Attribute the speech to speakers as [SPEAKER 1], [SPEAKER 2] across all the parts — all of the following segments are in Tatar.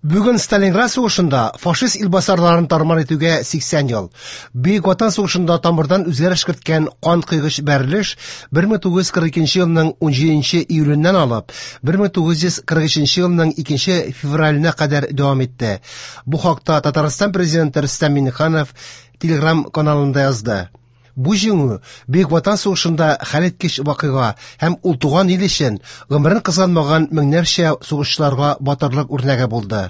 [SPEAKER 1] Бүген Сталинград сугышында фашист илбасарларын тармар итүгә 80 ел. Бөек Ватан сугышында тамырдан үзгәреш керткән кан кыйгыч бәрелеш 1942 елның 17 июленнән алып 1943 елның 2 февраленә кадәр дәвам итте. Бу хакта Татарстан президенты Рөстәм Миңнеханов Телеграм каналында язды. Бу җиңү Бөек Ватан сугышында хәлиткеч вакыйга һәм ул туган ил өчен гомерен кызганмаган меңнәрчә сугышчыларга батырлык үрнәге булды.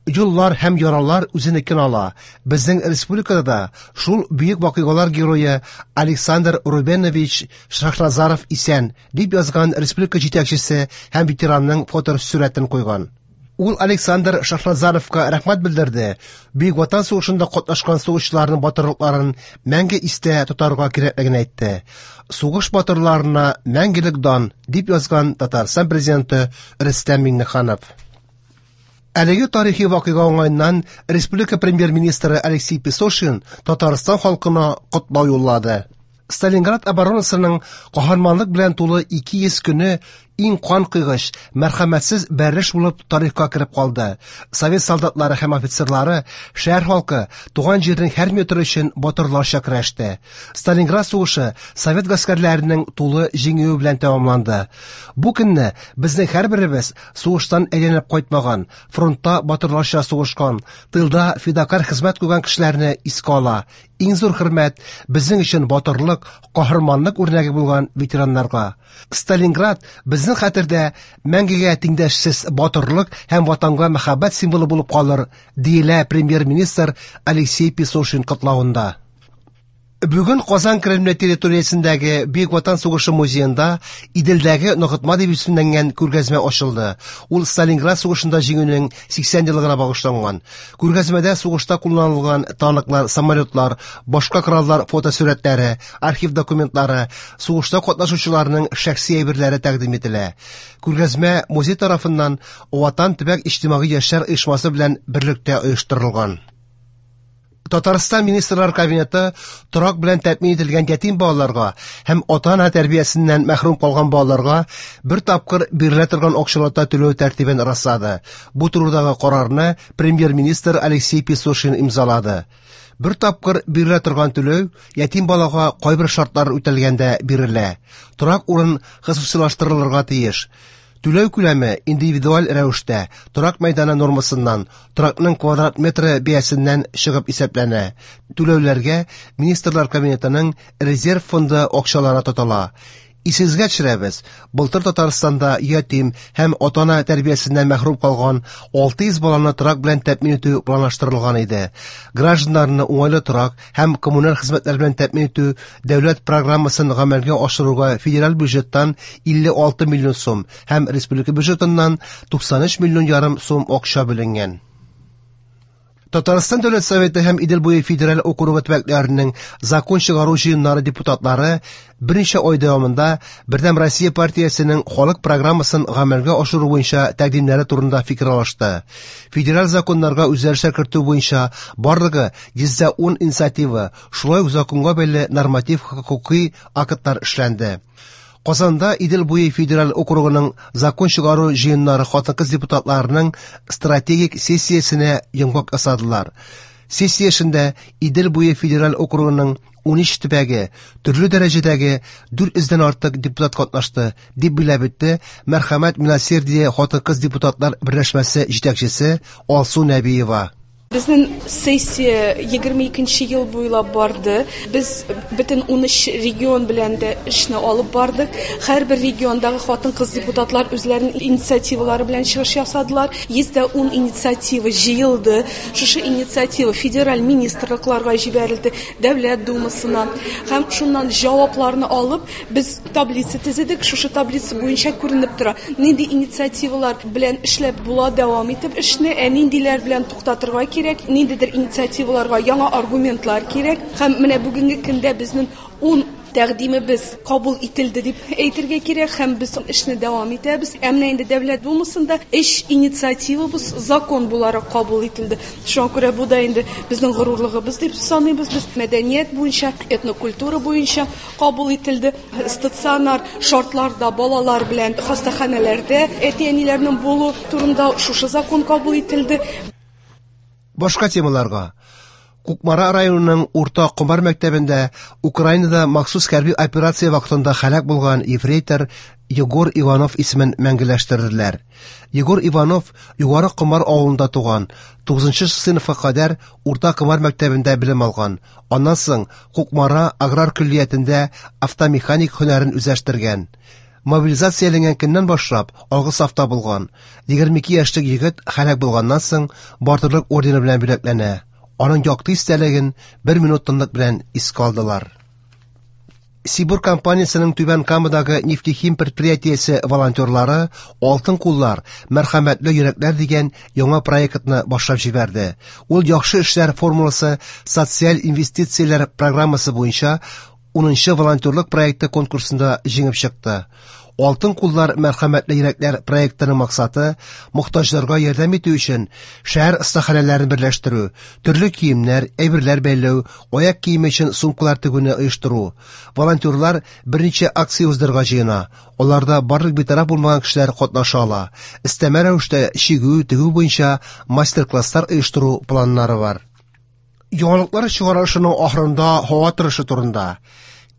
[SPEAKER 1] Юллар һәм яралар үзенекен ала. Безнең республикада да шул бөек вакыйгалар герое Александр Рубенович Шахназаров исән, дип язган республика җитәкчесе һәм ветеранның фотосурәтен куйган. Ул Александр Шахназаровка рәхмәт белдерде. Бөек Ватан сугышында катнашкан сугышчыларның батырлыкларын мәңге истә тотарга кирәклеген әйтте. Сугыш батырларына мәңгелек дан, дип язган Татарстан президенты Рөстәм Миңнеханов. Әлеге тарихи вакыйга уңаеннан республика премьер-министры Алексей Песошин Татарстан халкына котлау юллады. Сталинград оборонасының каһарманлык белән тулы 200 көне иң кан кыйгыч, мәрхәмәтсез бәрелеш булып тарихка кереп калды. Совет солдатлары һәм офицерлары, шәһәр халкы туган җирнең һәр метры өчен батырларча көрәште. Сталинград сугышы совет гаскәрләренең тулы җиңүе белән тәмамланды. Бу көнне безнең һәрберебез сугыштан әйләнеп кайтмаган, фронтта батырларча сугышкан, тылда фидакарь хезмәт куйган кешеләрне искә ала. Иң зур хөрмәт безнең өчен батырлык, каһарманлык үрнәге булган ветераннарга. Сталинград безнең хәтердә мәңгегә тиңдәшсез батырлык һәм ватанга мәхәббәт символы булып калыр, диелә премьер-министр Алексей Песошин котлавында. Бүген Казан Кремле территориясендәге Бөек Ватан сугышы музеенда Иделдәге ныгытма дип исемләнгән күргәзмә ачылды. Ул Сталинград сугышында җиңүнең 80 еллыгына багышланган. Күргәзмәдә сугышта кулланылган танклар, самолетлар, башка кораллар фотосурәтләре, архив документлары, сугышта катнашучыларның шәхси әйберләре тәкъдим ителә. Күргәзмә музей тарафыннан Ватан төбәк иҗтимагый яшьләр оешмасы белән берлектә оештырылган. Татарстан Министрлар Кабинеты торак белән тәэмин ителгән ятим балаларга һәм ата-ана тәрбиясеннән мәхрүм калган балаларга бер тапкыр бирелә торган акчалата түләү тәртибен раслады. Бу турыдагы карарны премьер-министр Алексей Песошин имзалады. Бер тапкыр бирелә торган түләү ятим балага кайбер шартлар үтәлгәндә бирелә. Торак урын хосусыйлаштырылырга тиеш. Түләү күләме индивидуаль рәвештә торак мәйданы нормасыннан, торакның квадрат метры бәясеннән чыгып исәпләнә. Түләүләргә Министрлар Кабинетының резерв фонды акчалары тотыла. Исегезгә төшерәбез, былтыр Татарстанда ятим һәм ата-ана тәрбиясеннән мәхрүм калган 600 баланы торак белән тәэмин итү планлаштырылган иде. Гражданнарны уңайлы торак һәм коммуналь хезмәтләр белән тәэмин итү дәүләт программасын гамәлгә ашыруга федераль бюджеттан 56 миллион сум һәм республика бюджетыннан 93 миллион ярым сум акча бүленгән. Татарстан Дәүләт Советы һәм Идел буе федераль округы төбәкләренең закон чыгару җыеннары депутатлары берничә ай дәвамында Бердәм Россия партиясенең халык программасын гамәлгә ашыру буенча тәкъдимнәре турында фикер алышты. Федераль законнарга үзгәрешләр кертү буенча барлыгы 110 инициатива, шулай ук законга бәйле норматив хокукый актлар эшләнде. Казанда Идел буе федераль округының закон чыгару җыеннары хатын-кыз депутатларының стратегик сессиясенә йомгак ясадылар. Сессия эшендә Идел буе федераль округының 13 төбәге, төрле дәрәҗәдәге 400дән артык депутат катнашты, дип билгеләп үтте Мәрхәмәт Милосердие хатын-кыз депутатлар берләшмәсе җитәкчесе Алсу Нәбиева.
[SPEAKER 2] Безнең сессия 22 ел буйлап барды. Без бөтен 13 регион белән дә эшне алып бардык. Һәрбер региондагы хатын-кыз депутатлар үзләренең инициативалары белән чыгыш ясадылар. 110 инициатива җыелды. Шушы инициатива федераль министрлыкларга җибәрелде, Дәүләт Думасына. Һәм шуннан җавапларны алып, без таблица төзедек. Шушы таблица буенча күренеп тора, нинди инициативалар белән эшләп була, дәвам итеп эшне, ә ниндиләр белән туктатырга кирәк, ниндидер инициативаларга яңа аргументлар кирәк. Һәм менә бүгенге көндә безнең 10 тәкъдимебез кабул ителде дип әйтергә кирәк һәм без эшне дәвам итәбез. Ә менә инде Дәүләт Думасында өч инициативабыз закон буларак кабул ителде. Шуңа күрә бу да инде безнең горурлыгыбыз дип саныйбыз без. Мәдәният буенча, этнокультура буенча кабул ителде. Стационар шартларда балалар белән хастаханәләрдә әти-әниләрнең булу турында шушы закон кабул ителде.
[SPEAKER 1] Башка темаларга. Кукмара районының Урта Комар мәктәбендә Украинада махсус хәрби операция вакытында һәлак булган ефрейтор Егор Иванов исемен мәңгеләштерделәр. Егор Иванов Югары Комар авылында туган, 9 сыйныфка кадәр Урта Комар мәктәбендә белем алган. Аннан соң Кукмара аграр көллиятендә автомеханик һөнәрен үзләштергән. Мобилизацияләнгән көннән башлап алгы сафта булган. 22 яшьлек егет һәлак булганнан соң Батырлык ордены белән бүләкләнә. Аның якты истәлеген бер минут тынлык белән искә алдылар. Сибур компаниясенең Түбән Камадагы Нефтехим предприятиесе волонтерлары Алтын куллар, мәрхәмәтле йөрәкләр дигән яңа проектны башлап җибәрде. Ул яхшы эшләр формуласы социаль инвестицияләр программасы буенча 10нчы волонтерлык проекты конкурсында җиңеп чыкты. Алтын куллар мәрхәмәтле йөрәкләр проектының максаты мохтаҗларга ярдәм итү өчен шәһәр остаханәләрен берләштерү, төрле киемнәр, әйберләр бәйләү, аяк киеме өчен сумкалар тегүне оештыру. Волонтерлар берничә акция уздырырга җыена. Аларда барлык битараф булмаган кешеләр катнаша ала. Өстәмә рәвештә чигү, тегү буенча мастер-класслар оештыру планнары бар. Яңалыклар чыгарылышының ахырында һава торышы турында.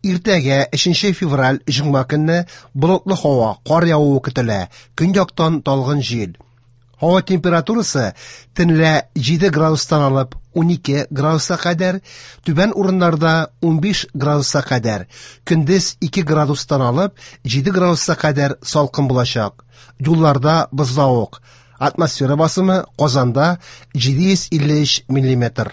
[SPEAKER 1] Иртәгә 3 февраль җомга көнне болытлы һава, кар явуы көтелә. Көньяктан талгын җил. Һава температурасы төнлә 7 градустан алып 12 градуска кадәр, түбән урыннарда 15 градуска кадәр, көндез 2 градустан алып 7 градуска кадәр салкын булачак. Юлларда бозлавык. Атмосфера басымы Казанда 753 миллиметр.